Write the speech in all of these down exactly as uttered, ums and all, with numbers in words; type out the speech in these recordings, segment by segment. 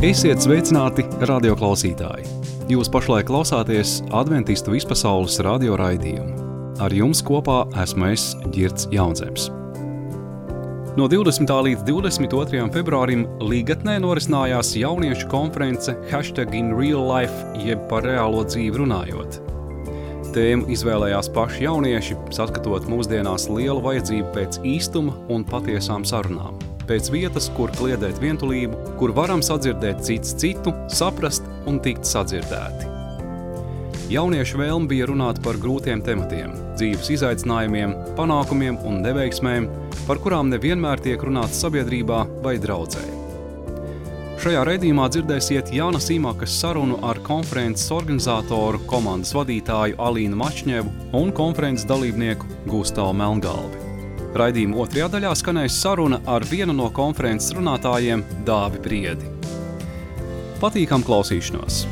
Esiet sveicināti, radioklausītāji! Jūs pašlaik klausāties Adventistu vispasaules radio raidījumu. Ar jums kopā esmu es, Ģirds Jaunzems. No divdesmitā līdz divdesmit otrajam februārim Līgatnē norisinājās jauniešu konference Hashtag in real life, jeb par reālo dzīvi runājot. Tēmu izvēlējās paši jaunieši, saskatot mūsdienās lielu vajadzību pēc īstuma un patiesām sarunām. Pēc vietas, kur kliedēt vientulību, kur varam sadzirdēt cits citu, saprast un tikt sadzirdēti. Jauniešu vēlme bija runāt par grūtiem tematiem, dzīves izaicinājumiem, panākumiem un neveiksmēm, par kurām nevienmēr tiek runāts sabiedrībā vai draudzē. Šajā raidījumā dzirdēsiet Jāna Sīmakas sarunu ar konferences organizatoru, komandas vadītāju Alīnu Mačņevu un konferences dalībnieku Gustavu Melngalvi. Raidījuma otrajā daļā skanēs saruna ar vienu no konferences runātājiem Dāvi Briedi. Patīkam klausīšanos!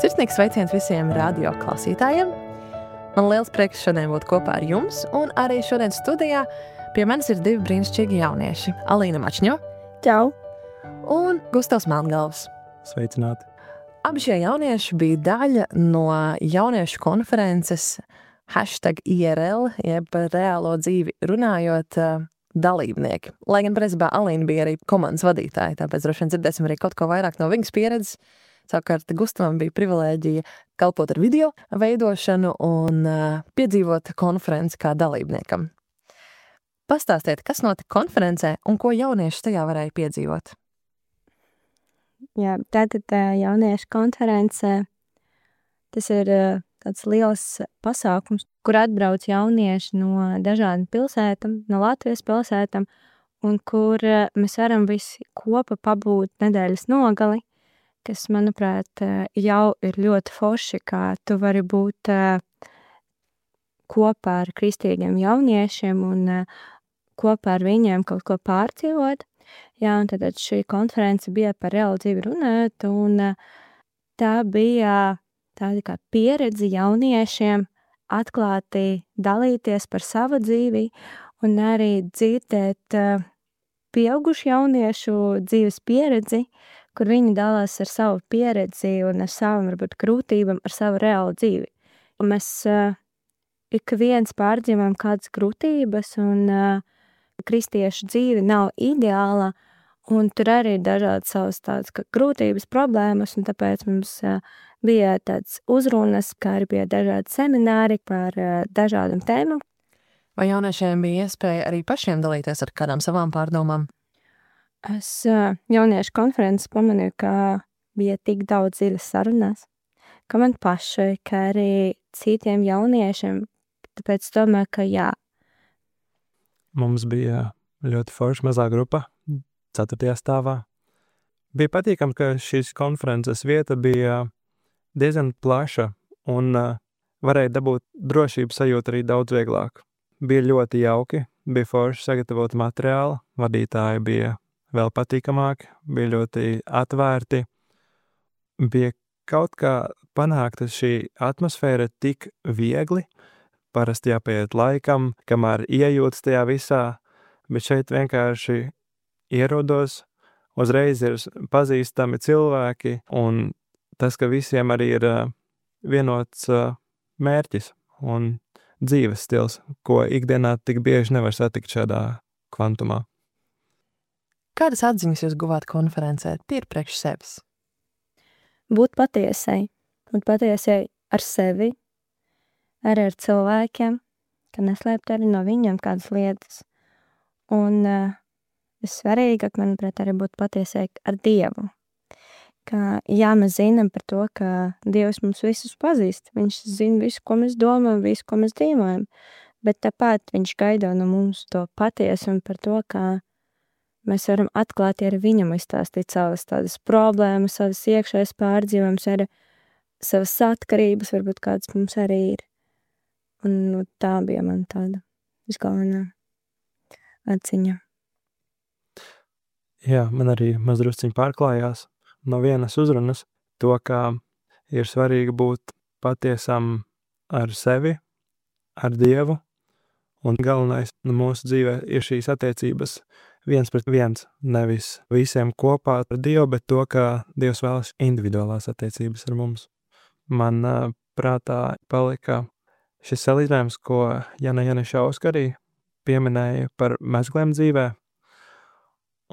Sirsnīgs sveiciens visiem radio klausītājiem. Man liels prieks šodien būt kopā ar jums, un arī šodien studijā pie manis ir divi brīnišķīgi jaunieši. Alīna Mačņo. Čau. Un Gustavs Melngalvs. Sveicināti. Abi šie jaunieši bija daļa no jauniešu konferences Hashtag I R L, jeb par reālo dzīvi runājot dalībnieki. Lai gan principā Alīna bija arī komandas vadītāja, tāpēc droši vien dzirdēsim arī kaut ko vairāk no viņas pieredzes. Savukārt Gustavam bija privilēģija kalpot ar video veidošanu un piedzīvot konferenci kā dalībniekam. Pastāstiet, kas notika konferencē un ko jaunieši tajā varēja piedzīvot? Jā, tātad jauniešu konferencē tas ir tāds liels pasākums, kur atbrauc jaunieši no dažādām pilsētām, no Latvijas pilsētām, un kur mēs varam visi kopā pabūt nedēļas nogali, kas, manuprāt, jau ir ļoti forši, kā tu vari būt kopā ar kristīgiem jauniešiem un kopā ar viņiem kaut ko pārdzīvot. Jā, un tad šī konference bija par reālu dzīvi runāt, un tā bija tāda kā pieredze jauniešiem atklāti dalīties par savu dzīvi un arī dzirdēt pieaugušu jauniešu dzīves pieredzi, kur viņi dalās ar savu pieredzi un ar savām, varbūt, grūtībām, ar savu reālu dzīvi. Un mēs uh, ik viens pārdzīvojam kādas grūtības, un uh, kristiešu dzīve nav ideāla, un tur arī ir dažādas savas tādas grūtības, problēmas, un tāpēc mums uh, bija tāds uzrunas, kā arī bija dažādi semināri par uh, dažādām tēmām. Vai jauniešiem bija iespēja arī pašiem dalīties ar kādām savām pārdomām? Es uh, jauniešu konferences pamanīju, ka bija tik daudz dziļas sarunas, ka man pašai, kā arī citiem jauniešiem, tāpēc domāju, ka jā. Mums bija ļoti forša mazā grupa, ceturtajā stāvā. Bija patīkami, ka šīs konferences vieta bija diezgan plaša un uh, varēja dabūt drošības sajūtu arī daudz vieglāk. Bija ļoti jauki, bija forši sagatavot materiālu, vadītāji bija vēl patīkamāki, bija ļoti atvērti. Bija kaut kā panākta šī atmosfēra tik viegli, parasti jāpieiet laikam, kamēr iejūtas tajā visā, bet šeit vienkārši ierodos, uzreiz ir pazīstami cilvēki, un tas, ka visiem arī ir vienots mērķis un dzīves stils, ko ikdienā tik bieži nevar satikt šādā kvantumā. Kādas atziņas jūs guvāt konferencē? Tīri priekš sevis. Būt patiesai. Būt patiesai ar sevi, arī ar cilvēkiem, ka neslēpt arī no viņiem kādas lietas. Un uh, vissvarīgāk, manuprāt, arī būt patiesai ar Dievu. Ka, jā, mēs zinām par to, ka Dievs mums visus pazīst. Viņš zina visu, ko mēs domājam, visu, ko mēs dzīvojam. Bet tāpat viņš gaida no mums to patiesu un par to, ka mēs varam atklāti ar viņam izstāstīt savas tādas problēmas, savas iekšējas pārdzīvojums, arī savas atkarības, varbūt kādas mums arī ir. Un nu, tā bija man tāda visgalvenā atziņa. Jā, man arī mazdrusciņi pārklājās. no vienas uzrunas to, kā ir svarīgi būt patiesam ar sevi, ar Dievu, un galvenais mūsu dzīvē ir šīs attiecības viens pret viens, nevis visiem kopā ar Dievu, bet to, ka Dievs vēlas individuālās attiecības ar mums. Man uh, prātā palika šis salīdzinājums, ko Jana Janišauska arī pieminēja par mezgliem dzīvē.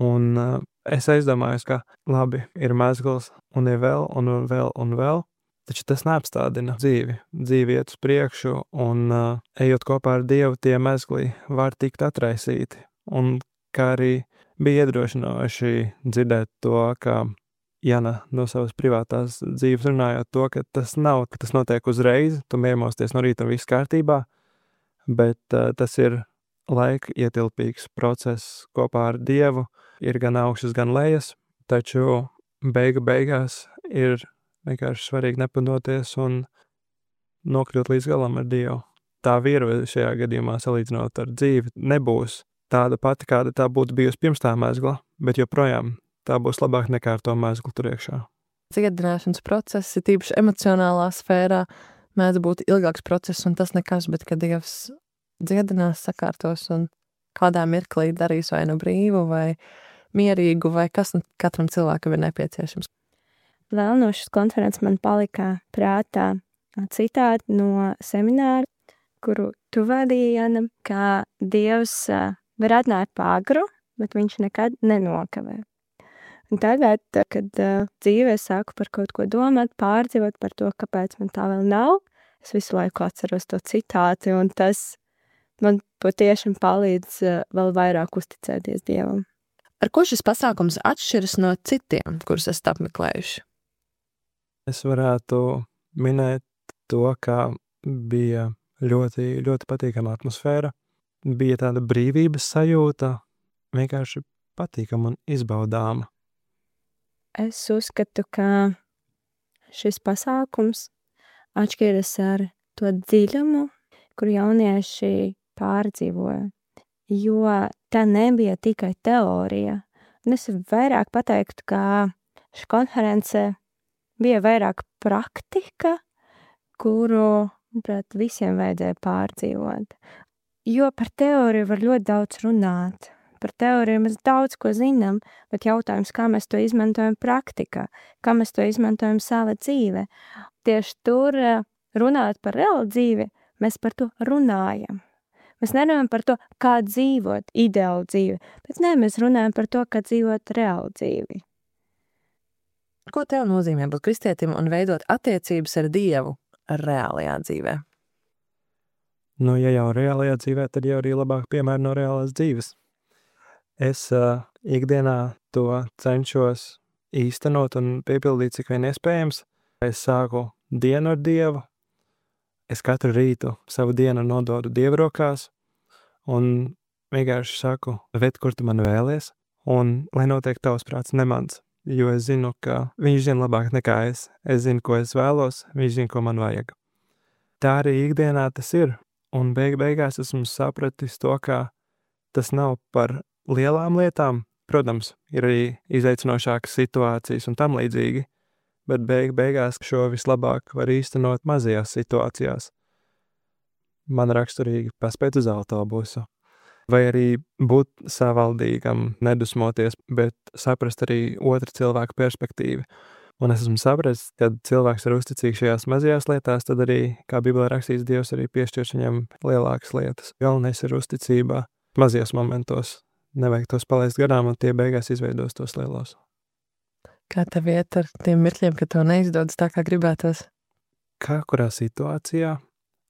Un uh, es aizdomājos, ka labi, ir mezgls un ir vēl un vēl un vēl, taču tas neapstādina dzīvi. Dzīvi iet uz priekšu un uh, ejot kopā ar Dievu, tie mezgli var tikt atraisīti. Un kā arī bija iedrošinoši dzirdēt to, ka Jana no savas privātās dzīves runājot to, ka tas nav, ka tas notiek uzreiz, tu iemosties no rīta un viss kārtībā, bet uh, tas ir laika ietilpīgs process kopā ar Dievu, ir gan augšas, gan lejas, taču beigu beigās ir vienkārši svarīgi nepadoties un nokļūt līdz galam ar Dievu. Tā virve šajā gadījumā salīdzinot ar dzīvi nebūs tāda pati, kāda tā būtu bijusi pirms tā mezgla, bet joprojām tā būs labāk nekā ar to mezglu tur iekšā. Dziedināšanas process, tīpaši emocionālā sfērā, mēdz būt ilgāks process un tas nekas, bet kad Dievs dziedinās, sakārtos un kādā mirklī darīs vai nu brīvu vai mierīgu vai kas katram cilvēkam ir nepieciešams. Vēl no šīs konferences man palika prātā citāti no semināra, kuru tu vadīji, Jana, ka Dievs var atnākt pāgru, bet viņš nekad nenokavē. Un tagad, kad uh, dzīvē sāku par kaut ko domāt, pārdzīvot par to, kāpēc man tā vēl nav, es visu laiku atceros to citāti, un tas man patiešām palīdz uh, vēl vairāk uzticēties Dievam. Ar ko šis pasākums atšķiras no citiem, kurus esat apmeklējuši? Es varētu minēt to, ka bija ļoti, ļoti patīkama atmosfēra, bija tāda brīvības sajūta, vienkārši patīkama un izbaudāma. Es uzskatu, ka šis pasākums atšķiras ar to dziļumu, kur jaunieši pārdzīvoja, jo tā nebija tikai teorija. Un es vairāk pateiktu, ka šī konference bija vairāk praktika, kuru, manuprāt, visiem vajadzēja pārdzīvot. Jo par teoriju var ļoti daudz runāt. Par teoriju mēs daudz ko zinām, bet jautājums, kā mēs to izmantojam praktikā, kā mēs to izmantojam savā dzīvē. Tieši tur runāt par reālu dzīvi, mēs par to runājam. Mēs nerunājam par to, kā dzīvot ideālu dzīvi, bet nē, mēs runājam par to, kā dzīvot reālu dzīvi. Ko tev nozīmē būt kristietim un veidot attiecības ar Dievu reālajā dzīvē? Nu, ja jau reālajā dzīvē, tad jau arī labāk piemēri no reālās dzīves. Es uh, ikdienā to cenšos īstenot un piepildīt, cik vien iespējams. Es sāku dienu ar Dievu. Es katru rītu savu dienu nododu Dieva rokās un vienkārši saku, ved, kur tu man vēlies, un lai notiek tavs prāts, ne mans. Jo es zinu, ka viņš zina labāk nekā es. Es zinu, ko es vēlos, viņš zina, ko man vajag. Tā arī ikdienā tas ir. Un beig beigās esmu sapratis to, ka tas nav par lielām lietām. Protams, ir arī izaicinošākas situācijas un tam līdzīgi, bet beig beigās šo vislabāk var īstenot mazajās situācijās. Man raksturīgi paspēt uz autobusu. Vai arī būt savaldīgam, nedusmoties, bet saprast arī otra cilvēka perspektīvu. Un es esmu sapratis, kad cilvēks ir uzticīgs šajās mazajās lietās, tad arī, kā Bībelē rakstīts, Dievs arī piešķirš viņam lielākas lietas. Galvenais ir uzticība mazajos momentos. Nevajag tos palaist garām, un tie beigās izveidos tos lielos. Kā tev iet ar tiem mirkļiem, ka tev neizdodas tā, kā gribētos? Kā kurā situācijā,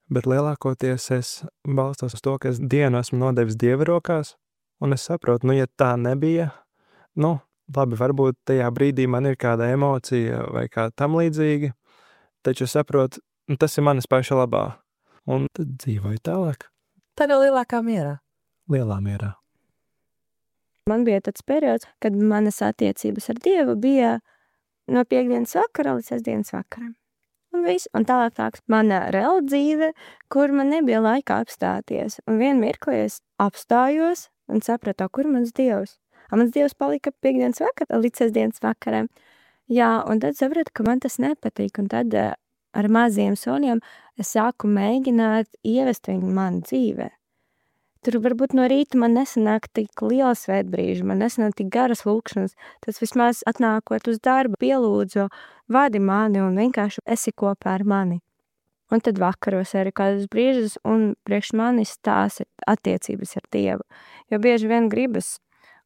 bet lielākoties es balstos uz to, ka es dienu esmu nodevis Dieva rokās, un es saprotu, nu, ja tā nebija, nu, labi, varbūt tajā brīdī man ir kāda emocija vai kā tam līdzīgi, taču es saprotu, nu, tas ir manis paša labā, un tad dzīvoju tālāk. Tā ir lielākā mierā. Lielā mierā. Man bija tāds periods, kad manas attiecības ar Dievu bija no piekdienas vakara līdz sestdienas vakaram. Un viss, un tālāk tāks mana reāla dzīve, kur man nebija laika apstāties. Un vien mirklī es apstājos un sapratu, kur mans Dievs. Un mans Dievs palika piekdienas vakara līdz sestdienas vakaram. Jā, un tad sapratu, ka man tas nepatīk, un tad uh, ar maziem soļiem es sāku mēģināt ievest viņu man dzīvē. Tur varbūt no rīta man nesanāk tik liela svētbrīža, man nesanāk tik garas lūkšanas. Tas vismaz atnākot uz darbu, pielūdzu, vadi mani un vienkārši esi kopā ar mani. Un tad vakaros arī kādus brīžus un priekš manis tās ir attiecības ar Dievu. Jo bieži vien gribas,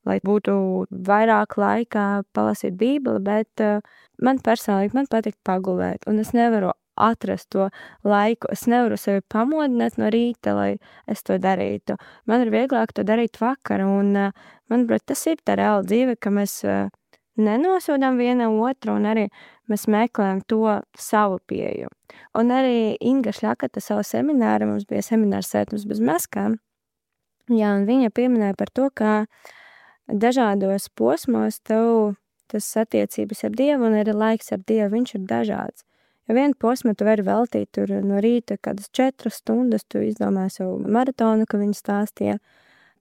lai būtu vairāk laikā palasīt Bībeli, bet uh, man personīgi man patīk pagulēt, un es nevaru atrast to laiku. Es nevaru sevi pamodināt no rīta, lai es to darītu. Man ir vieglāk to darīt vakar, un manuprāt, tas ir tā reāla dzīve, ka mēs nenosodām viena otru, un arī mēs meklējam to savu pieeju. Un arī Inga Šļakata savu semināru, mums bija seminārs Sētums bez maskām, jā, un viņa pieminēja par to, ka dažādos posmos tev tas attiecības ar Dievu un arī laiks ar Dievu, viņš ir dažāds. Jo vienu posmu tu vari veltīt tur no rīta kādas četras stundas, tu izdomāji savu maratonu, ka viņi stāstīja,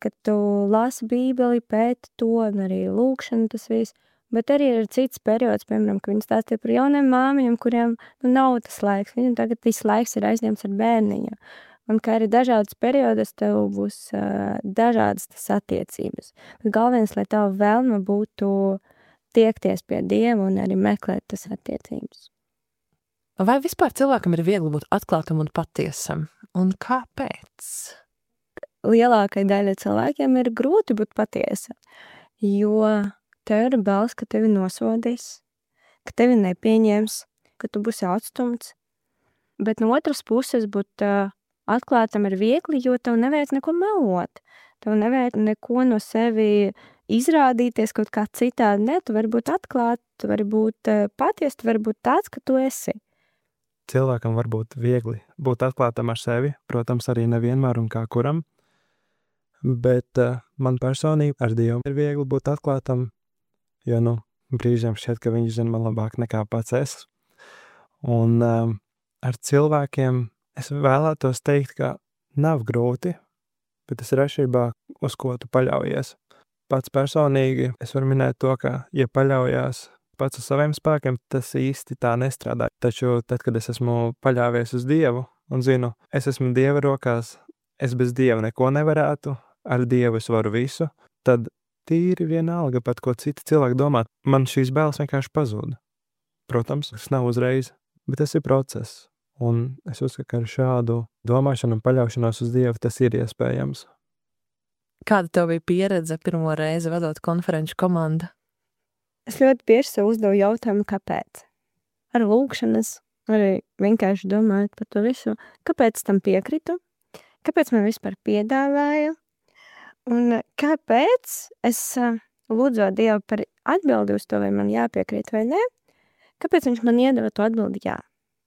ka tu lasi Bībeli, pēti to, un arī lūkšanu tas viss. Bet arī ir cits periods, piemēram, ka viņi stāstīja par jauniem māmiņiem, kuriem nu, nav tas laiks. Viņam tagad viss laiks ir aizņemts ar bērniņu. Un kā arī dažādas periodas, tev būs uh, dažādas tas attiecības. Bet galvenais, lai tava vēlme būtu tiekties pie Dieva un arī meklēt tas attiecības. Vai vispār cilvēkam ir viegli būt atklātam un patiesam? Un kāpēc? Lielākai daļai cilvēkiem ir grūti būt patiesa, jo tev ir bailes, ka tevi nosodīs, ka tevi nepieņems, ka tu būsi atstumts. Bet no otras puses būt uh, atklātam ir viegli, jo tev nevajag neko melot. Tev nevajag neko no sevi izrādīties kaut kā citādi. Ne, tu vari būt atklāt, tu vari būt uh, paties, tu vari būt tāds, ka tu esi. Cilvēkam var būt viegli būt atklātam ar sevi, protams, arī nevienmēr un kā kuram, bet uh, man personīgi ar Dievu ir viegli būt atklātam, jo, nu, brīžiem šķiet, ka viņš zina man labāk nekā pats es. Un uh, ar cilvēkiem es vēlētos teikt, ka nav grūti, bet tas ir atšķirībā, uz ko tu paļaujies. Pats personīgi es varu minēt to, ka, ja paļaujās pats uz saviem spēkiem, tas īsti tā nestrādā. Taču tad, kad es esmu paļāvies uz Dievu un zinu, es esmu Dieva rokās, es bez Dieva neko nevarētu, ar Dievu es varu visu, tad tīri vienalga pat, ko citi cilvēki domā. Man šīs bailes vienkārši pazūd. Protams, tas nav uzreiz, bet tas ir process. Un es uzskatu, ka ar šādu domāšanu un paļaušanos uz Dievu tas ir iespējams. Kāda tev bija pieredze pirmo reizi vadot konferenču komandu? Es ļoti bieži sev uzdevu jautājumu, kāpēc. Ar lūkšanas, arī vienkārši domājot par to visu, kāpēc tam piekritu, kāpēc man vispār piedāvāja, un kāpēc es lūdzu Dievu par atbildi uz to, vai man jāpiekrīt vai ne, kāpēc viņš man iedeva to atbildi jā.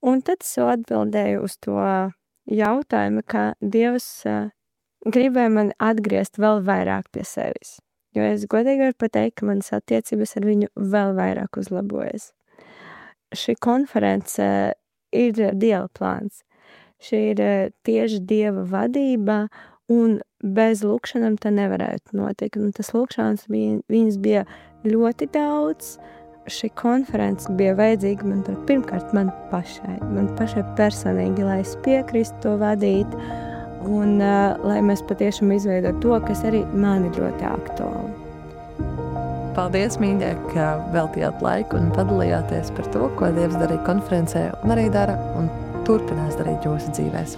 Un tad es atbildēju uz to jautājumu, ka Dievs gribēja man atgriezt vēl vairāk pie sevis. Jo es godīgi varu pateikt, ka manas attiecības ar viņu vēl vairāk uzlabojas. Šī konference ir Dieva plāns. Šī ir tieši Dieva vadība, un bez lūkšanām tā nevarētu notikt. Un tas lūkšanas bija, viņas bija ļoti daudz. Šī konference bija vajadzīga man pirmkārt man pašai, man pašai personīgi, lai es piekristu to vadīt, un uh, lai mēs patiešām izveidotu to, kas arī man ir ļoti aktuāli. Paldies, mīļie, ka veltījāt laiku un padalījāties par to, ko Dievs darīja konferencē un arī dara un turpinās darīt jūsu dzīvēs.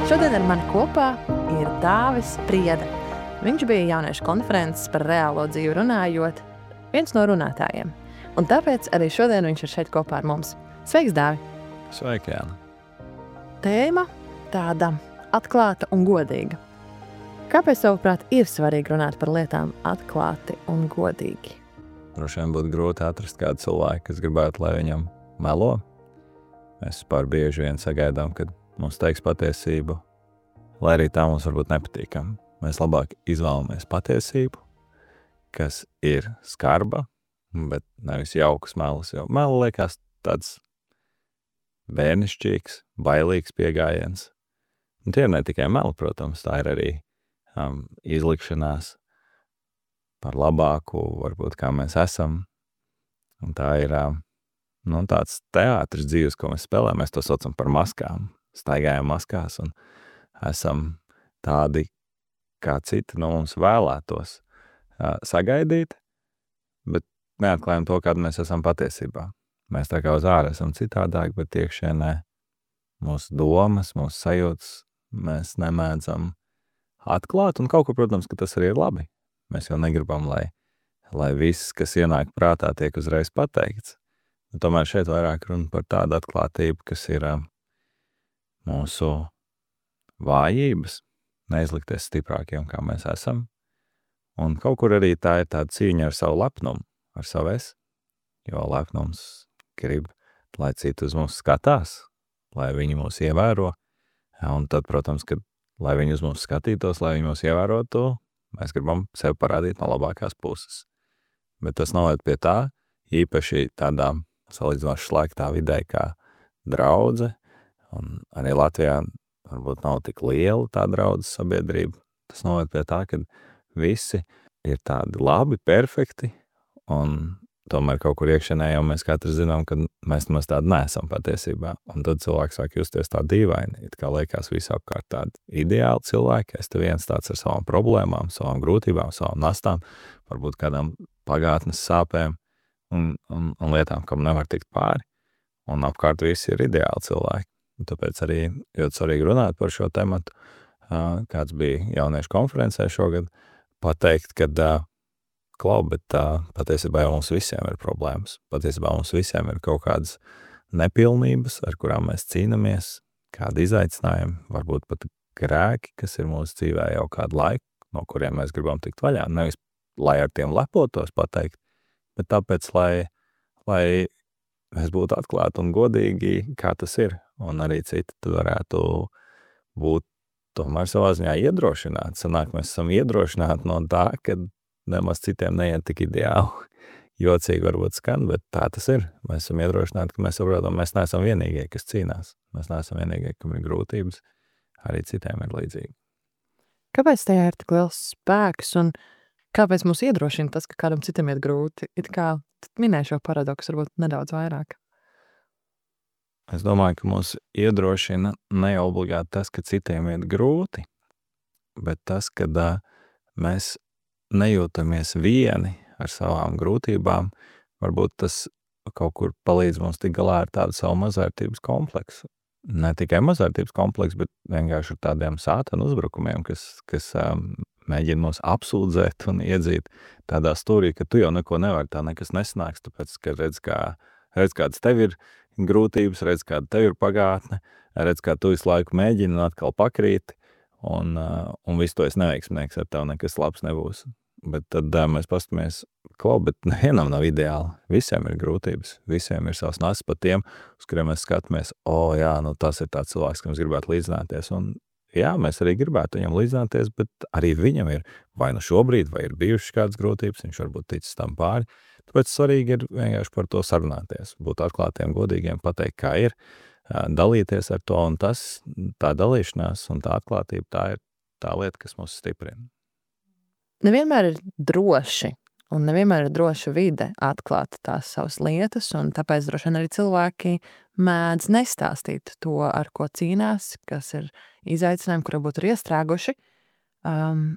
Šodien ar mani kopā ir Dāvis Prieda. Viņš bija jauniešu konferences par reālo dzīvi runājot, viens no runātājiem. Un tāpēc arī šodien viņš ir šeit kopā ar mums. Sveiks, Dāvi! Sveiki, Jāna! Tēma tāda atklāta un godīga. Kāpēc, tavuprāt, ir svarīgi runāt par lietām atklāti un godīgi? Droši vien būtu grūti atrast kādu cilvēku, kas gribētu, lai viņam melo. Mēs pār bieži vien sagaidām, kad mums teiks patiesību, lai arī tā mums varbūt nepatīkam. Mēs labāk izvēlamies patiesību, kas ir skarba, bet nevis jaukas melas, jo mela liekas tāds bērnišķīgs, bailīgs pieejams. Un tie ir ne tikai meli, protams, tā ir arī um, izlikšanās par labāku, varbūt kā mēs esam. Un tā ir um, nu, tāds teātris dzīves, ko mēs spēlējam. Mēs to saucam par maskām. Staigājam maskās un esam tādi, kā citi no mums vēlētos uh, sagaidīt, bet neatklājam to, kādu mēs esam patiesībā. Mēs tā kā uz ārā esam citādāk, bet iekšienē mūsu domas, mūsu sajūtas mēs nemēdzam atklāt, un kaut ko, protams, ka tas arī ir labi. Mēs jau negribam, lai, lai viss, kas ienāk prātā, tiek uzreiz pateikts. Un tomēr šeit vairāk runa par tādu atklātību, kas ir uh, mūsu vājības, neizlikties stiprākiem, kā mēs esam. Un kaut kur arī tā ir tāda cīņa ar savu lepnumu, ar savu es, jo lepnums grib, lai citi uz mums skatās, lai viņi mūs ievēro. Un tad, protams, kad, lai viņi uz mums skatītos, lai viņi mūs ievērotu, mēs gribam sevi parādīt no labākās puses. Bet tas noved pie tā, īpaši tādā salīdzinoši slēgtā vidē kā draudze, un arī Latvijā varbūt nav tik liela tā draudzes sabiedrība. Tas noved pie tā, ka visi ir tādi labi, perfekti, un tomēr kaut kur iekšienē jau mēs katrs zinām, ka mēs nemaz tādi neesam patiesībā. Un tad cilvēks sāk justies tā dīvaini, it kā liekas visapkārt tādi ideāli cilvēki. Es te viens tāds ar savām problēmām, savām grūtībām, savām nastām, varbūt kādām pagātnes sāpēm un, un, un lietām, kam nevar tikt pāri. Un apkārt visi ir ideāli cilvēki. Un tāpēc arī ļoti svarīgi runāt par šo tematu. Kāds bija jauniešu konferencē šogad, pateikt, ka klau, bet tā, patiesībā jau mums visiem ir problēmas. Patiesībā mums visiem ir kaut kādas nepilnības, ar kurām mēs cīnamies, kādi izaicinājumi, varbūt pat grēki, kas ir mūsu dzīvē jau kādu laiku, no kuriem mēs gribam tikt vaļā. Nevis, lai ar tiem lepotos pateikt, bet tāpēc, lai, lai mēs būtu atklāti un godīgi, kā tas ir. Un arī citi tad varētu būt tomēr savā ziņā iedrošināti. Sanāk, mēs esam iedrošināti no tā, ka nemaz citiem neiet tik ideāli. Jocīgi varbūt skan, bet tā tas ir. Mēs esam iedrošināti, ka mēs saprotam, mēs neesam vienīgie, kas cīnās. Mēs neesam vienīgie, kam ir grūtības. Arī citiem ir līdzīgi. Kāpēc tajā ir tik liels spēks un kāpēc mūs iedrošina tas, ka kādam citam iet grūti? It kā minēju šo paradoksu varbūt nedaudz vairāk. Es domāju, ka mūs iedrošina ne obligāti tas, ka citiem iet grūti, bet tas, kad uh, mēs nejūtamies vieni ar savām grūtībām, varbūt tas kaut kur palīdz mums tik galā ar tādu savu mazvērtības kompleksu. Ne tikai mazvērtības kompleksu, bet vienkārši ar tādiem sātanu uzbrukumiem, kas, kas um, mēģina mūs apsūdzēt un iedzīt tādā stūrī, ka tu jau neko nevari, tā nekas nesanāks, tāpēc, ka redz, kā, redz kāds tev ir grūtības, redz, kāda tev ir pagātne, redz, kā tu visu laiku mēģini un atkal pakrīti, un, uh, un visu to es neveiksmnieks, ar tev nekas labs nebūs. Bet tad uh, mēs pastamies, klau, bet nevienam nav ideāli. Visiem ir grūtības, visiem ir savs nasas pat tiem, uz kuriem mēs skatāmies, o, jā, nu tas ir tāds cilvēks, kam gribētu līdzināties, un jā, mēs arī gribētu viņam līdzināties, bet arī viņam ir vai nu šobrīd, vai ir bijušas kādas grūtības, viņš varbūt ticis tam pāri. Tāpēc svarīgi ir vienkārši par to sarunāties, būt atklātiem, godīgiem, pateikt, kā ir, dalīties ar to, un tas, tā dalīšanās un tā atklātība, tā ir tā lieta, kas mūs stiprina. Nevienmēr ir droši, un nevienmēr ir droša vide atklāt tās savas lietas, un tāpēc droši vien arī cilvēki mēdz nestāstīt to, ar ko cīnās, kas ir izaicinājumi, kuri būtu ir iestrēguši. Um,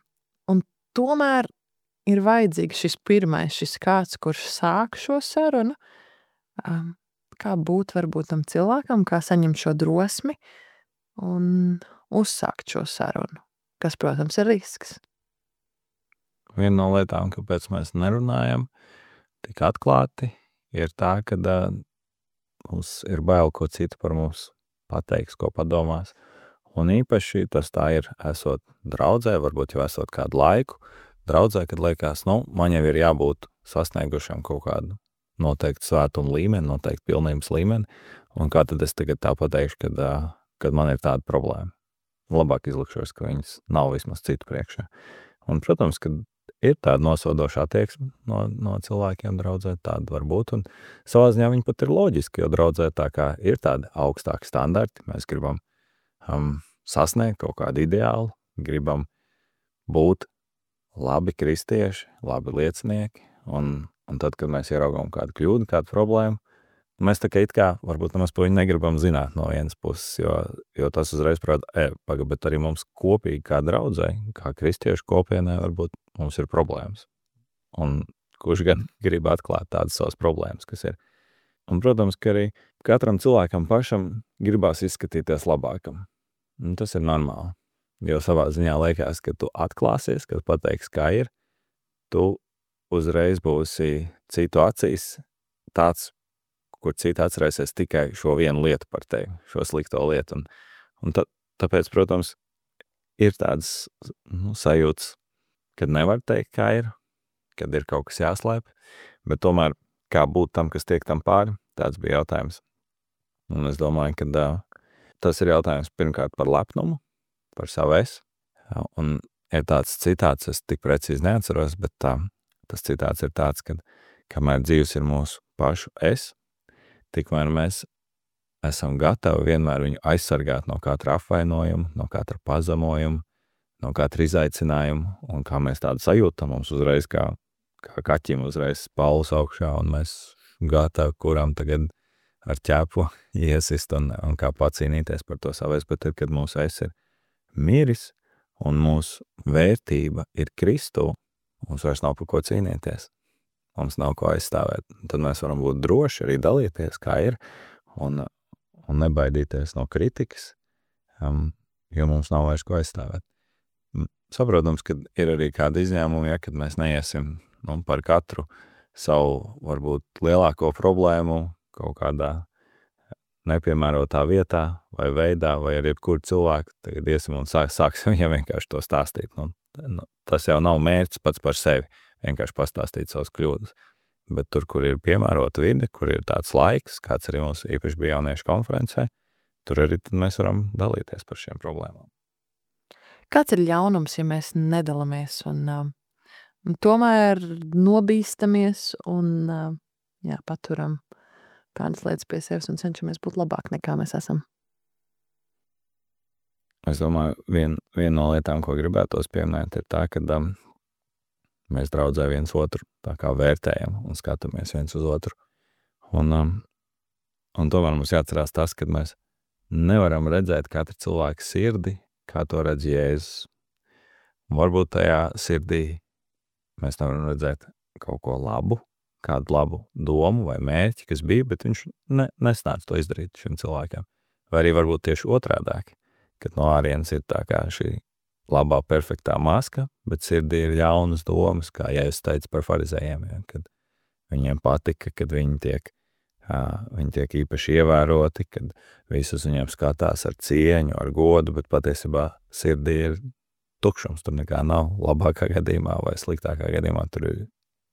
un tomēr ir vajadzīgs šis pirmais, šis kāds, kurš sāk šo sarunu, um, kā būt varbūt tam cilvēkam, kā saņemt šo drosmi un uzsākt šo sarunu, kas, protams, ir risks. Viena no lietām, kāpēc mēs nerunājam tik atklāti, ir tā, ka uh, mums ir bail, ko citu par mums pateiks, ko padomās. Un īpaši tas tā ir, esot draudzē, varbūt jau esot kādu laiku, draudzē, kad liekas, nu, man jau ir jābūt sasniegušam kaut kādu noteikti svētumu līmeni, noteikti pilnības līmeni, un kā tad es tagad tā pateikšu, kad, uh, kad man ir tāda problēma. Labāk izlikšos, ka viņas nav vismaz citu priekšā. Un, protams, kad ir tāda nosodoša attieksme no, no cilvēkiem draudzē, tāda var būt, un savā ziņā viņi pat ir loģiski, jo draudzē tā kā ir tādi augstāki standarti, mēs gribam um, sasniegt kaut kādu ideālu, gribam būt labi kristieši, labi liecinieki, un, un tad, kad mēs ieraugām kādu kļūdu, kādu problēmu, mēs tā kā it kā, varbūt nemaz par viņu negribam zināt no vienas puses, jo, jo tas uzreiz prāt, e, paga, bet arī mums kopīgi kā draudzē, kā kristiešu kopienē, varbūt mums ir problēmas. Un kurš gan grib atklāt tādas savas problēmas, kas ir. Un, protams, ka arī katram cilvēkam pašam gribās izskatīties labākam. Un tas ir normāli. Jo savā ziņā liekas, ka tu atklāsies, kad pateiksi, kā ir, tu uzreiz būsi citu acīs tāds, kur citi atcerēsies tikai šo vienu lietu par tevi, šo slikto lietu. Un, un tā, tāpēc, protams, ir tādas nu, sajūtas, kad nevar teikt, kā ir, kad ir kaut kas jāslēp, bet tomēr kā būt tam, kas tiek tam pāri, tāds bija jautājums. Un es domāju, ka uh, tas ir jautājums pirmkārt par lepnumu, par savu es. Un ir tāds citāts, es tik precīzi neatceros, bet tā, tas citāts ir tāds, ka kamēr dzīves ir mūsu pašu es, tikmēr mēs esam gatavi vienmēr viņu aizsargāt no katra apvainojuma, no katra pazemojuma, no katra izaicinājuma, un kā mēs tādu sajūtam, mums uzreiz kā, kā kaķim uzreiz spauls augšā, un mēs gatavi, kuram tagad ar ķēpu iesist un, un kā pacīnīties par to savēs, bet tad, kad mūsu es ir miris, un mūsu vērtība ir Kristu, mums vairs nav par ko cīnīties. Mums nav ko aizstāvēt. Tad mēs varam būt droši arī dalīties, kā ir, un, un nebaidīties no kritikas, um, jo mums nav vairs ko aizstāvēt. Saprotams, ka ir arī kādi izņēmumi, ja, kad mēs neiesim nu, par katru savu, varbūt, lielāko problēmu kaut kādā nepiemērotā vietā vai veidā, vai ar jebkuru cilvēku, tagad iesim un sāk, sāksim viņam vienkārši to stāstīt. Nu, nu, tas jau nav mērķis pats par sevi. Vienkārši pastāstīt savas kļūdas. Bet tur, kur ir piemērota vide, kur ir tāds laiks, kāds arī mums īpaši bija jauniešu konferencē, tur arī tad mēs varam dalīties par šiem problēmām. Kāds ir ļaunums, ja mēs nedalamies un, un tomēr nobīstamies un jā, paturam kādas lietas pie sevis un cenšamies būt labāk nekā mēs esam? Es domāju, vien, viena no lietām, ko gribētos pieminēt, ir tā, ka um, mēs draudzē viens otru tā kā vērtējam un skatāmies viens uz otru. Un, um, un tomēr mums jāatcerās tas, ka mēs nevaram redzēt katru cilvēku sirdi, kā to redz Jēzus. Un varbūt tajā sirdī mēs nevaram redzēt kaut ko labu, kādu labu domu vai mērķi, kas bija, bet viņš ne, nesnāca to izdarīt šim cilvēkiem. Vai arī varbūt tieši otrādāk, kad no ārienes ir tā kā šī labā, perfektā maska, bet sirdī ir ļaunas domas, kā Jēzus teica par farizējiem, ja, kad viņiem patika, kad viņi tiek, jā, viņi tiek īpaši ievēroti, kad visus viņiem skatās ar cieņu, ar godu, bet patiesībā sirdī ir tukšums, tur nekā nav labākā gadījumā vai sliktākā gadījumā, tur ir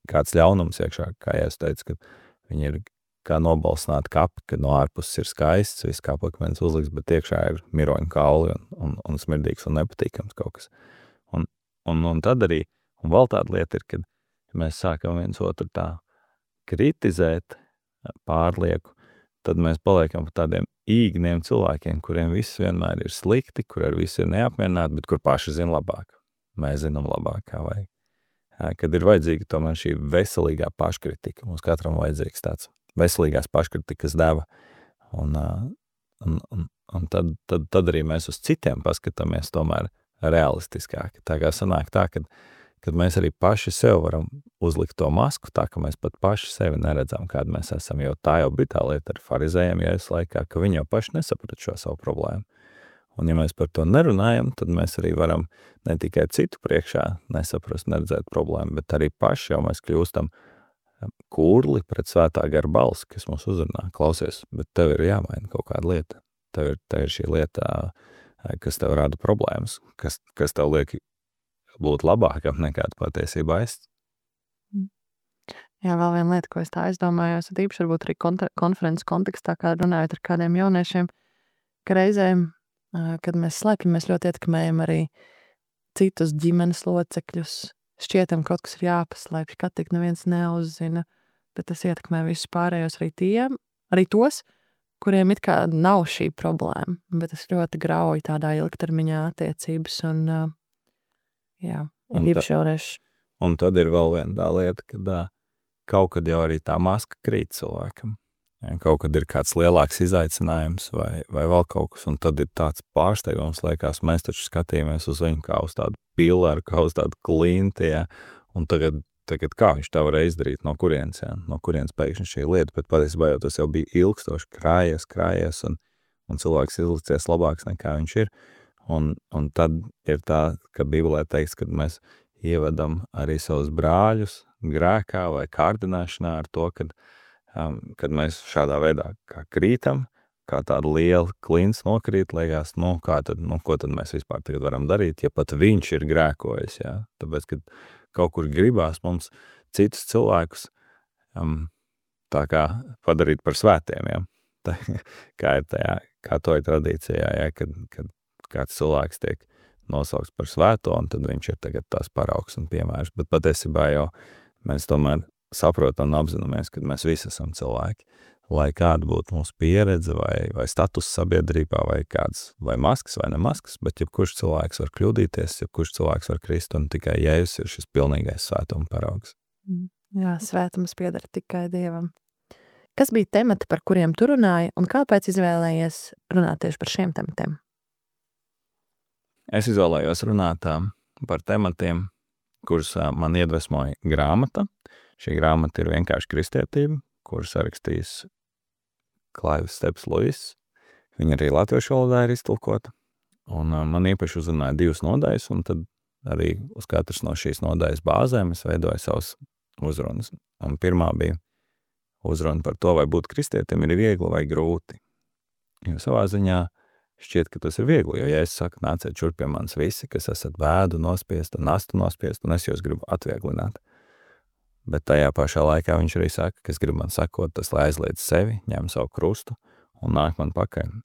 kāds ļaunums iekšā, kā Jēzus teica, kad viņi ir kā nobalsināti kapi, kad no ārpuses ir skaists, viss kā pakmens uzliks, bet iekšā ir miroņu kauli un, un, un smirdīgs un nepatīkams kaut kas. Un, un, un tad arī, un vēl tāda lieta ir, kad mēs sākam viens otru tā kritizēt pārlieku, tad mēs paliekam par tādiem īgniem cilvēkiem, kuriem viss vienmēr ir slikti, kur ar visu ir neapmierināti, bet kur paši zina labāk. Mēs zinām labāk, kā vajag. Kad ir vajadzīga tomēr šī veselīgā paškritika, mums katram vajadzīgs tāds veselīgās paškritikas deva. Un, un, un, un tad, tad, tad arī mēs uz citiem paskatāmies tomēr realistiskāk. Tā kā sanāk tā, kad, kad mēs arī paši sev varam uzlikt to masku, tā ka mēs pat paši sevi neredzam, kāda mēs esam, jo tā jau bija tā lieta ar farizējiem Jēzus laikā, ka viņi jau paši nesaprat šo savu problēmu. Un ja mēs par to nerunājam, tad mēs arī varam ne tikai citu priekšā nesaprast, neredzēt problēmu, bet arī paši jau mēs kļūstam kurli pret svētā gara balsi, kas mums uzrunā. Klausies, bet tev ir jāmaina kaut kāda lieta. Tev ir, tev ir šī lieta, kas tev rada problēmas, kas, kas tev liek būt labākam nekā patiesībā es. Jā, vēl viena lieta, ko es tā aizdomājos, ir īpaši varbūt arī konferences kontekstā, kā runājot ar kādiem jauniešiem, ka reizēm, kad mēs slēpjam, mēs ļoti ietekmējam arī citus ģimenes locekļus, šķietam kaut kas ir jāpaslēpj, ka tik neviens neuzzina, bet tas ietekmē visus pārējos arī tiem, arī tos, kuriem it kā nav šī problēma, bet tas ļoti grauj tādā ilgtermiņā attiecības un, jā, Un ir ta- īpaši jaunieši. Un tad ir vēl viena tā lieta, kad ā, kaut kad jau arī tā maska krīt cilvēkam. Ja, kaut kad ir kāds lielāks izaicinājums vai, vai vēl kaut kas, un tad ir tāds pārsteigums, liekas, mēs taču skatījāmies uz viņu kā uz tādu pilaru, kā uz tādu klinti, ja, un tagad, tagad kā viņš tā varēja izdarīt, no kurienes, ja, no kurienes pēkšņi šī lieta, bet patiesībā jau tas jau bija ilgstoši krājies, krājies, un, un cilvēks izlicies labāks nekā viņš ir, un, un tad ir tā, ka Bībelē teiks, kad mēs ievedam arī savus brāļus grēkā vai kārdināšanā ar to, kad, um, kad mēs šādā veidā kā krītam, kā tāda liela klints nokrīt, liekas, nu, kā tad, nu, ko tad mēs vispār tagad varam darīt, ja pat viņš ir grēkojis, jā. Tāpēc, kad kaut kur gribās mums citus cilvēkus um, tā kā padarīt par svētiem, jā. Tā, kā ir tajā, kā to ir tradīcijā, jā, kad, kad kāds cilvēks tiek nosaukts par svēto, un tad viņš ir tagad tās paraugs un piemērs. Bet patiesībā jau mēs tomēr saprotam un apzināmies, ka mēs visi esam cilvēki. Lai kāda būtu mūsu pieredze vai, vai status sabiedrībā, vai kāds, vai maskas, vai ne maskas, bet jebkurš cilvēks var kļūdīties, jebkurš cilvēks var krist, un tikai Jēzus ir šis pilnīgais svētuma paraugs. Jā, svētums pieder tikai Dievam. Kas bija temati, par kuriem tu runāji, un kāpēc izvēlējies runāt tieši par šiem tematiem? Es izvēlējos runāt ā, par tematiem, kurus ā, man iedvesmoja grāmata. Šī grāmata ir vienkārši kristietība, kuras sarakstījis Klaivis Steps Luis. Viņa arī latviešu valodā ir iztulkota. Un ā, man īpaši uzrunāja divas nodaļas, un tad arī uz katras no šīs nodaļas bāzēm es veidoju savus uzrunas. Un pirmā bija uzruna par to, vai būt kristietim ir viegli vai grūti. Jo savā ziņā šķiet, ka tas ir viegli, jo ja es saku, nāciet šurp pie manis visi, kas esat vēdu nospiest un nastu nospiest, un es jūs gribu atvieglināt. Bet tajā pašā laikā viņš arī saka, kas grib man sakot, tas lai aizliedz sevi, ņem savu krustu un nāk man pakaļ.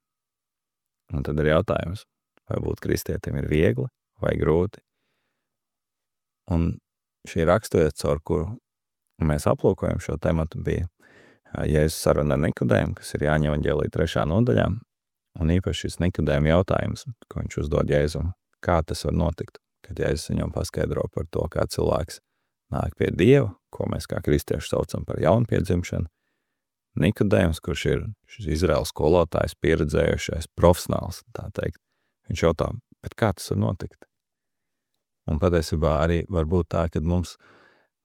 Un tad ir jautājums, vai būt kristietim ir viegli vai grūti. Un šī raksturiet, caur kuru mēs aplūkojam šo tematu, bija Jēzus saruna ar Nikodēmu, kas ir Jāņa evaņģēlija trešā nodaļā. Un īpaši šis Nikodēma jautājums, ko viņš uzdod Jēzum, kā tas var notikt, kad Jēzus viņam paskaidro par to, kā cilvēks nāk pie Dieva, ko mēs kā kristieši saucam par jaunpiedzimšanu. Nikodēms, kurš ir šis Izraels skolotājs, pieredzējušais, profesionāls, tā teikt, viņš jautā, bet kā tas var notikt? Un patiesībā arī var būt tā, ka mums,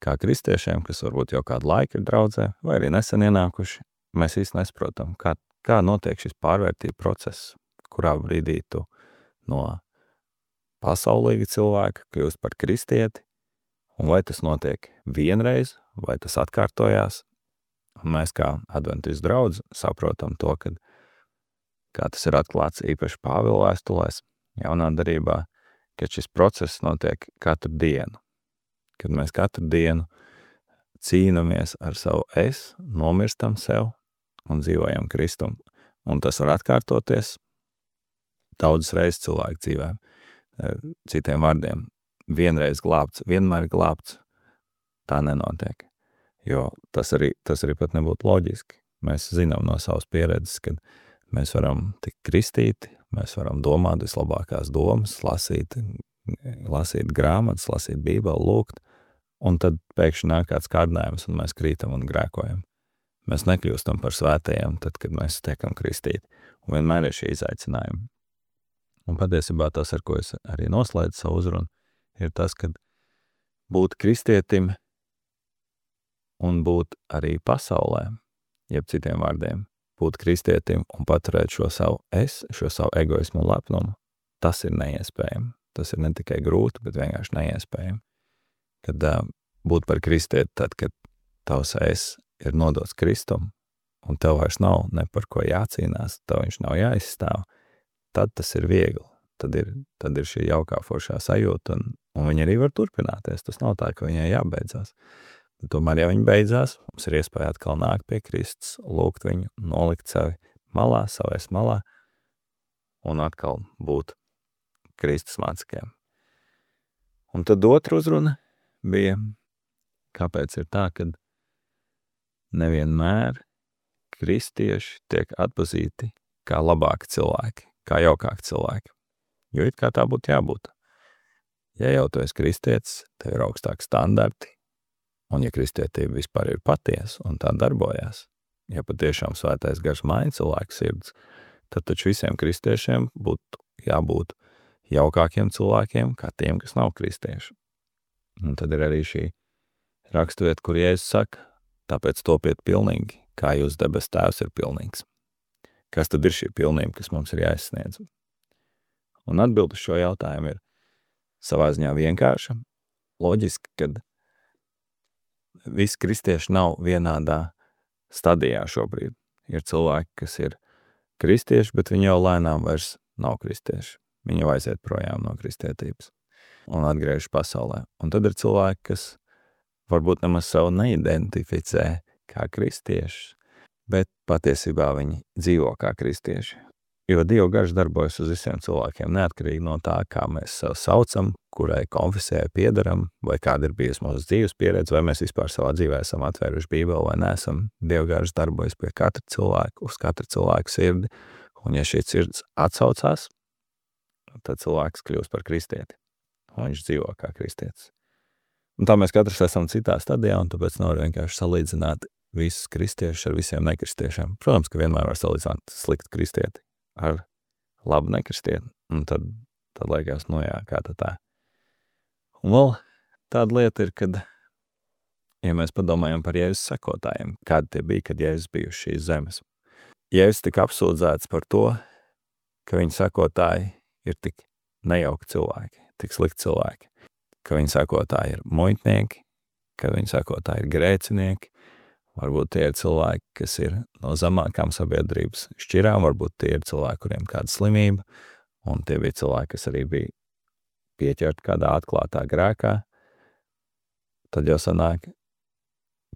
kā kristiešiem, kas varbūt jau kādu laiku ir draudzē, vai arī nesen ienākuši, mēs īsti nesaprotam, kā Kā notiek šis pārvērtība process, kurā brīdī tu no pasaulīga cilvēka kļūst par kristieti, un vai tas notiek vienreiz, vai tas atkārtojās, un mēs kā adventistu draudz saprotam to, kad, kā tas ir atklāts īpaši Pāvila vēstulēs, jaunā darībā, ka šis process notiek katru dienu, kad mēs katru dienu cīnamies ar savu es, nomirstam sev, un dzīvojam Kristum. Un tas var atkārtoties daudzas reizes cilvēku dzīvē. Citiem vārdiem, vienreiz glābts, vienmēr glābts, tā nenotiek. Jo tas arī, tas arī pat nebūtu loģiski. Mēs zinām no savas pieredzes, ka mēs varam tikt kristīti, mēs varam domāt vislabākās domas, lasīt, lasīt grāmatas, lasīt Bībeli, lūgt, un tad pēkšņi nāk kāds kārdinājums, un mēs krītam un grēkojam. Mēs nekļūstam par svētajiem, tad, kad mēs tiekam kristīti. Un vienmēr ir šī izaicinājumi. Un patiesībā tas, ar ko es arī noslēdzu savu uzrunu, ir tas, ka būt kristietim un būt arī pasaulē, jeb citiem vārdiem, būt kristietim un paturēt šo savu es, šo savu egoismu un lepnumu, tas ir neiespējami. Tas ir ne tikai grūti, bet vienkārši neiespējami. Kad uh, būt par kristieti, tad, kad tavs es ir nodots Kristum, un tev vairs nav ne par ko jācīnās, tev viņš nav jāizstāv, tad tas ir viegli. Tad ir, tad ir šī jaukā foršā sajūta, un, un viņi arī var turpināties. Tas nav tā, ka viņai jābeidzās. Bet tomēr, ja viņi beidzās, mums ir iespēja atkal nākt pie Kristus, lūgt viņu, nolikt sevi malā, savēs malā, un atkal būt Kristus mācekļiem. Un tad otra uzruna bija, kāpēc ir tā, ka nevienmēr kristieši tiek atpazīti kā labāki cilvēki, kā jaukāki cilvēki. Jo it kā tā būtu jābūt. Ja jau tu esi kristietis, tev ir augstāki standarti, un ja kristietība vispār ir patiesa un tā darbojās, ja patiešām svētais gars maina cilvēku sirds, tad taču visiem kristiešiem būtu jābūt jaukākiem cilvēkiem, kā tiem, kas nav kristieši. Un tad ir arī šī rakstvieta, kur Jēzus saka, tāpēc topiet pilnīgi, kā jūs debes tēvs ir pilnīgs. Kas tad ir šī pilnība, kas mums ir jāizsniedz? Un atbildi šo jautājumu ir savā ziņā vienkārša. Loģiski, kad visi kristieši nav vienādā stadijā šobrīd. Ir cilvēki, kas ir kristieši, bet viņi jau lēnām vairs nav kristieši. Viņi jau aiziet projām no kristietības un atgriežas pasaulē. Un tad ir cilvēki, kas varbūt nemaz savu neidentificē kā kristieši, bet patiesībā viņi dzīvo kā kristieši. Jo Dieva gars darbojas uz visiem cilvēkiem, neatkarīgi no tā, kā mēs sev saucam, kurai konfesijai piedaram, vai kāda ir bijusi mūsu dzīves pieredze, vai mēs vispār savā dzīvē esam atvēruši Bībeli vai neesam. Dieva gars darbojas pie katra cilvēka, uz katra cilvēka sirdi, un ja šī sirds atsaucās, tad cilvēks kļūst par kristieti, un viņš dzīvo kā kristietis. Un tā mēs katrs esam citā stadijā, un tāpēc nevar vienkārši salīdzināt visus kristiešus ar visiem nekristiešiem. Protams, ka vienmēr var salīdzināt sliktu kristieti ar labu nekristieti, un tad, tad liekas, nu jā, kā tā tā. Un vēl tāda lieta ir, kad, ja mēs padomājam par Jēzus sekotājiem, kādi tie bija, kad Jēzus bija uz šīs zemes. Jēzus tika apsūdzēts par to, ka viņa sekotāji ir tik nejauki cilvēki, tik slikti cilvēki, ka viņa sekotāji ir muitnieki, ka viņa sekotāji ir grēcinieki, varbūt tie ir cilvēki, kas ir no zemākām sabiedrības šķirām, varbūt tie ir cilvēki, kuriem kāda slimība, un tie bija cilvēki, kas arī bija pieķerti kādā atklātā grēkā. Tad jau sanāk,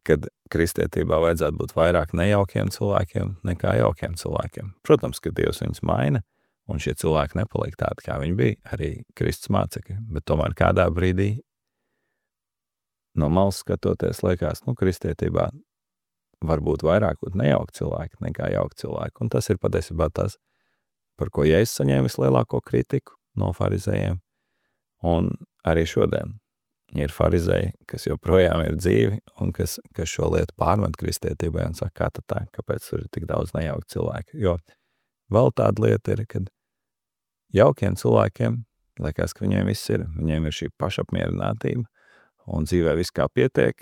kad kristietībā vajadzētu būt vairāk nejaukiem cilvēkiem nekā jaukiem cilvēkiem. Protams, ka Dievs viņus maina, un šie cilvēki nepaliek tādi, kā viņi bija, arī Kristus mācekļi, bet tomēr kādā brīdī no malas skatoties liekas, nu, kristietībā var būt vairāk būt nejauki cilvēki nekā jauki cilvēki. Un tas ir patiesībā tas, par ko Jēzus saņēma vislielāko kritiku no farizējiem. Un arī šodien ir farizēji, kas joprojām ir dzīvi un kas, kas šo lietu pārmet kristietībai un saka, kā tad tā, kāpēc tur ir tik daudz nejauki cilvēki. Jo vēl tāda lieta ir, kad jaukiem cilvēkiem liekas, ka viņiem viss ir. Viņiem ir šī pašapmierinātība un dzīvē viss kā pietiek.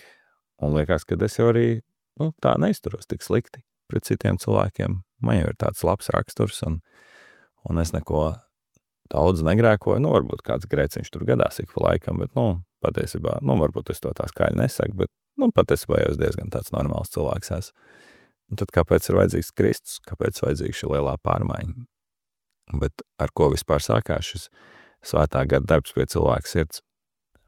Un liekas, ka es jau arī nu, tā neizturos tik slikti pret citiem cilvēkiem. Man jau ir tāds labs raksturs, un, un es neko daudz negrēkoju. Nu, varbūt kāds grēciņš tur gadās ik pa laikam, bet, nu, patiesībā, nu, varbūt es to tā skaļi nesaku, bet, nu, patiesībā jau es diezgan tāds normāls cilvēks esmu. Un tad kāpēc ir vajadzīgs Kristus? Kāpēc vajadzīga šī lielā pārmaiņa? Bet ar ko vispār sākās šis svētā gara darbs pie cilvēka sirds?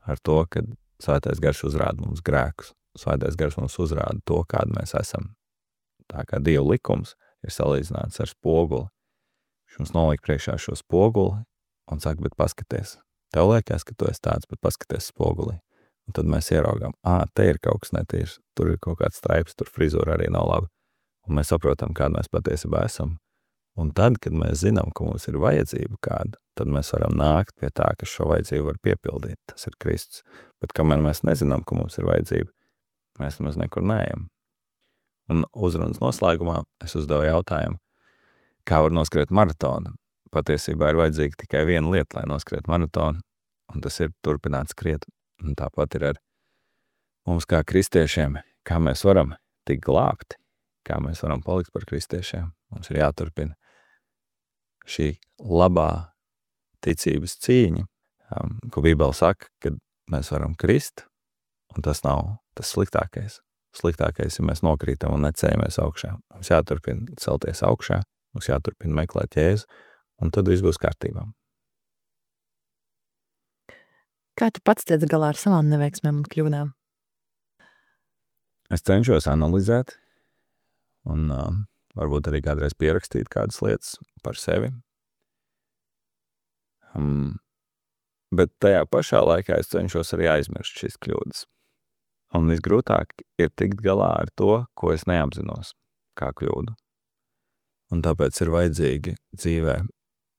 Ar to, kad svētais gars uzrāda mums grēkus. Svētais gars mums uzrāda to, kāda mēs esam. Tā kā Dieva likums ir salīdzināts ar spoguli. Viņš mums noliek priekšā šo spoguli un saka, bet paskaties. Tev liekas, ka tu esi tāds, bet paskaties spogulī. Un tad mēs ieraugām, ā, te ir kaut kas netīrs, tur ir kaut kāds straips, tur frizūra arī nav laba. Un mēs saprotam, kāda mēs patiesībā esam. Un tad, kad mēs zinām, ka mums ir vajadzība kāda, tad mēs varam nākt pie tā, ka šo vajadzību var piepildīt. Tas ir Kristus. Bet kamēr mēs nezinām, ka mums ir vajadzība, mēs nemaz nekur neejam. Un uzrunas noslēgumā es uzdevu jautājumu, kā var noskriet maratonu. Patiesībā ir vajadzīga tikai viena lieta, lai noskriet maratonu, un tas ir turpināt skriet. Un tāpat ir ar mums kā kristiešiem, kā mēs varam tik glābti, kā mēs varam palikt par kristiešiem. Mums ir jāturpina šī labā ticības cīņa, um, ko Bībele saka, kad mēs varam krist, un tas nav tas sliktākais. Sliktākais, ja mēs nokrītam un neceļamies augšā. Mums jāturpina celties augšā, mums jāturpina meklēt Jēzu, un tad viss būs kārtībā. Kā tu pats tiec galā ar savām neveiksmēm un kļūdām? Es cenšos analizēt un uh, varbūt arī kādreiz pierakstīt kādas lietas par sevi. Um, Bet tajā pašā laikā es cenšos arī aizmirst šīs kļūdas. Un visgrūtāk ir tikt galā ar to, ko es neapzinos, kā kļūdu. Un tāpēc ir vajadzīgi dzīvē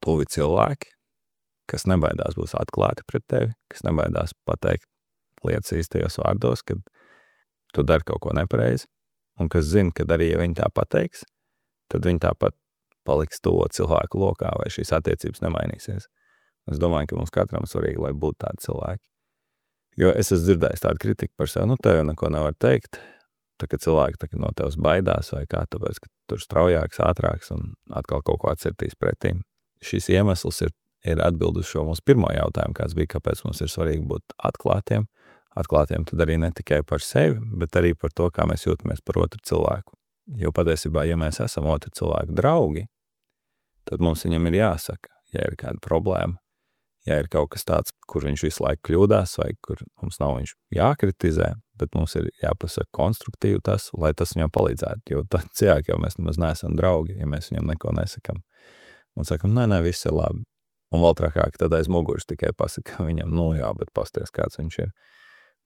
tuvi cilvēki, kas nebaidās būs atklāti pret tevi, kas nebaidās pateikt lietas īstajos vārdos, kad tu dari kaut ko nepareizi, un kas zina, kad arī, ja viņi tā pateiks, tad viņi tāpat paliks to cilvēku lokā, vai šīs attiecības nemainīsies. Es domāju, ka mums katram svarīgi, lai būtu tādi cilvēki. Jo es esmu dzirdējis tādu kritiku par sevi, nu tev jau neko nevar teikt, tā ka cilvēki tā, no tevs baidās vai kā, tāpēc, ka tur straujāks, ātrāks un atkal kaut ko atcertīs pretīm. Šis iemesls ir, ir atbild uz šo mūsu pirmo jautājumu, kāds bija, kāpēc mums ir svarīgi būt atklātiem. Atklātiem tad arī ne tikai par sevi, bet arī par to, kā mēs jūtamies par otru cilvēku. Jo patiesībā, ja mēs esam otru cilvēku draugi, tad mums viņam ir jāsaka, ja ir kāda problēma, ja ir kaut kas tāds, kur viņš visu laiku kļūdās, vai kur mums nav viņš jākritizē, bet mums ir jāpasaka konstruktīvi tas, lai tas viņam palīdzētu, jo tad ciāk jau mēs nemaz neesam draugi, ja mēs viņam neko nesakam. Un sakam, nē, nē, viss ir labi. Un vēl trakāk, tad aiz muguras tikai pasaka viņam, nu jā, bet pasties, kāds viņš ir.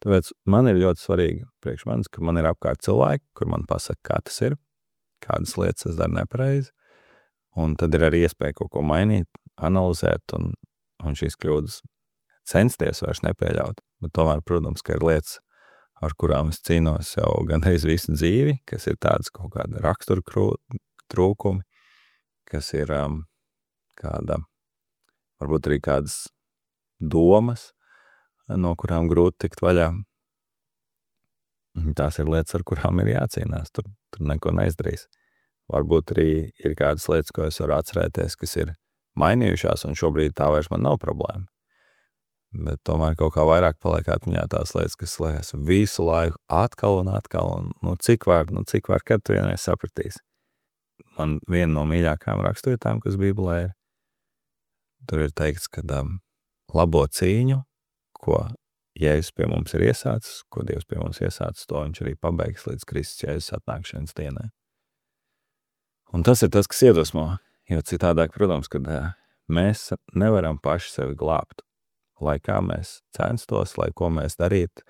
Tāpēc man ir ļoti svarīgi priekš manis, ka man ir apkārt cilvēki, kur man pasaka, kā tas ir, kādas lietas es daru nepareizi, un tad ir arī iespēja kaut ko mainīt, analizēt un un šīs kļūdas censties vairs nepieļaut. Bet tomēr, protams, ka ir lietas, ar kurām es cīnos jau gandrīz visu dzīvi, kas ir tādas kaut kāda rakstura trūkumi, kas ir um, kāda, varbūt arī kādas domas, no kurām grūti tikt vaļā. Tās ir lietas, ar kurām ir jācīnās, tur, tur neko neizdarīs. Varbūt arī ir kādas lietas, ko es varu atcerēties, kas ir mainījušās, un šobrīd tā vairs man nav problēma. Bet tomēr kaut kā vairāk paliek atmiņā tās lietas, kas liekas visu laiku atkal un atkal, un nu cik var, nu cik var, kad tu vienreiz sapratīsi. Man viena no mīļākām raksturvietām, kas Bībelē ir, tur ir teikts, ka um, labo cīņu, ko Jēzus pie mums ir iesācis, ko Dievs pie mums iesācis, to viņš arī pabeigs līdz Kristus Jēzus atnākšanas dienai. Un tas ir tas, kas iedvesmo. Jo citādāk, protams, kad mēs nevaram paši sevi glābt. Lai kā mēs censtos, lai ko mēs darītu,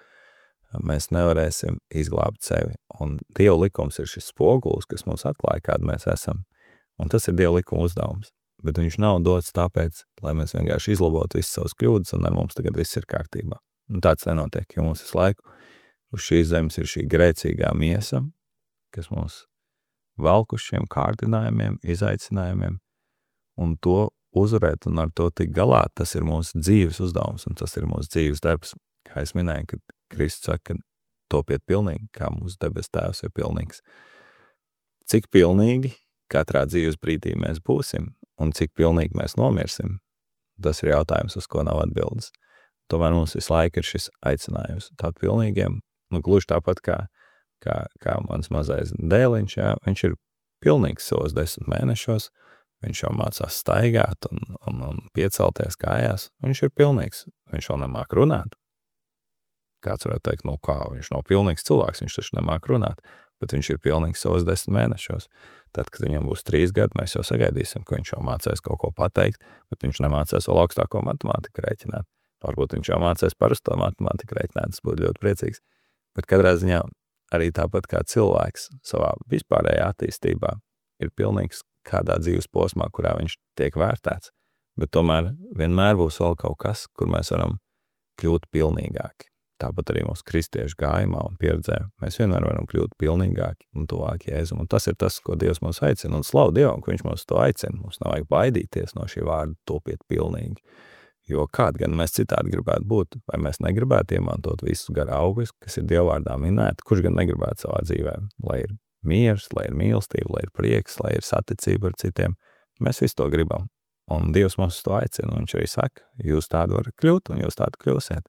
mēs nevarēsim izglābt sevi. Un Dieva likums ir šis spogulis, kas mums atklāja, kāda mēs esam. Un tas ir Dieva likuma uzdevums. Bet viņš nav dots tāpēc, lai mēs vienkārši izlabotu visas savas kļūdas, un ar mums tagad viss ir kārtībā. Un tāds nenotiek, jo mums visu laiku uz šīs zemes ir šī grēcīgā miesa, kas mums velk uz šiem kārdinājumiem, izaicinājumiem, un to uzvarēt un ar to tik galā, tas ir mūsu dzīves uzdevums, un tas ir mūsu dzīves darbs. Kā es minēju, kad Kristus saka, ka topiet pilnīgi, kā mūsu debes tēvs ir pilnīgs. Cik pilnīgi katrā dzīves brīdī mēs būsim, un cik pilnīgi mēs nomirsim, tas ir jautājums, uz ko nav atbildes. Tomēr mums visu laiku ir šis aicinājums tādu pilnīgiem, nu gluži tāpat kā Kā, kā mans mazais dēliņš, jā, viņš ir pilnīgs savos desmit mēnešos, viņš jau mācās staigāt un, un, un piecelties kājās, viņš ir pilnīgs, viņš vēl nemāk runāt. Kāds varētu teikt, nu kā, viņš nav pilnīgs cilvēks, viņš taču nemāk runāt, bet viņš ir pilnīgs savos desmit mēnešos. Tad, kad viņam būs trīs gadi, mēs jau sagaidīsim, ka viņš jau mācēs kaut ko pateikt, bet viņš nemācēs vēl augstāko matemātiku rēķināt. Varbūt viņš jau mācēs parasto matemātiku rēķināt, tas būtu ļoti priecīgs. Bet katrā ziņā arī tāpat kā cilvēks savā vispārējā attīstībā ir pilnīgs kādā dzīves posmā, kurā viņš tiek vērtēts, bet tomēr vienmēr būs vēl kaut kas, kur mēs varam kļūt pilnīgāki. Tāpat arī mūsu kristiešu gājumā un pieredzē mēs vienmēr varam kļūt pilnīgāki un tuvāki Jēzum. Un tas ir tas, ko Dievs mūs aicina, un slavu Dievam, ka viņš mūs to aicina. Mums nav vajag baidīties no šī vārda topiet pilnīgi. Jo kād gan mēs citādi gribētu būt, vai mēs negribētu iemantot visus gara augus, kas ir Dievvārdā minēti, kurš gan negribētu savā dzīvē, lai ir miers, lai ir mīlestība, lai ir prieks, lai ir saticība ar citiem. Mēs visu to gribam. Un Dievs mums to aicina, un viņš arī saka, jūs tādu varat kļūt, un jūs tādu kļūsiet.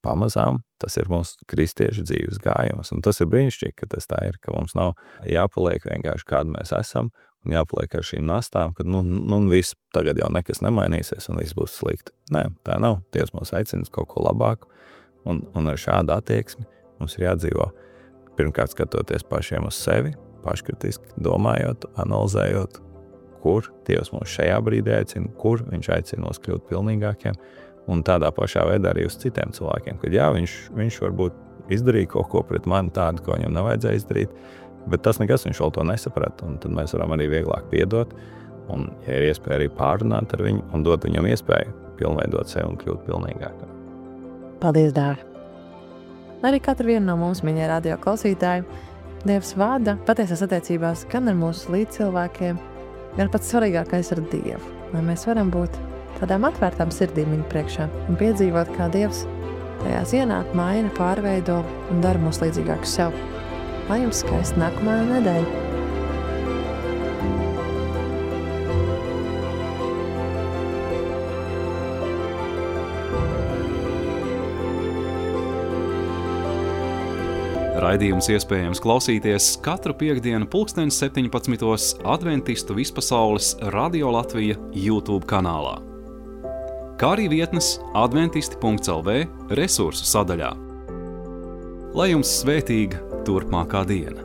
Pamazām tas ir mūsu kristiešu dzīves gājums, un tas ir brīnišķīgi, ka tas tā ir, ka mums nav jāpaliek vienkārši kādu mēs esam, un jāpaliek ar šīm nastām, ka nu, nu viss tagad jau nekas nemainīsies un viss būs slikti. Nē, tā nav. Dievs mūs aicina kaut ko labāku, un, un ar šādu attieksmi mums ir jādzīvo. Pirmkārt skatoties pašiem uz sevi, paškritiski domājot, analizējot, kur Dievs mūs šajā brīdī aicina, kur viņš aicina mūs kļūt pilnīgākiem, un tādā pašā veidā arī uz citiem cilvēkiem, kad jā, viņš, viņš varbūt izdarīja kaut ko pret mani tādu, ko viņam nevajadzēja izdarīt, bet tas nekas viņš vēl to nesaprata, un tad mēs varam arī vieglāk piedot, un ja ir iespēja arī pārrunāt ar viņu un dot viņam iespēju pilnveidot sevi un kļūt pilnīgākam. Paldies, Dāvi! Arī katru vienu no mums, mīļie radio klausītāji, Dievs vada patiesās attiecībās gan ar mūsu līdzcilvēkiem, gan pats svarīgākais ar Dievu, lai mēs varam būt tādām atvērtām sirdīm viņa priekšā un piedzīvot, kā Dievs tajās ienāk, maina, pārveido un dara mūs līdzīgākus sev. Lai jums skaista nākamā nedēļa! Raidījums iespējams klausīties katru piektdienu pulksteni septiņpadsmitos Adventistu vispasaules Radio Latvija YouTube kanālā, kā arī vietnes adventisti punkts el vē resursu sadaļā. Lai jums svētīga turpmākā diena!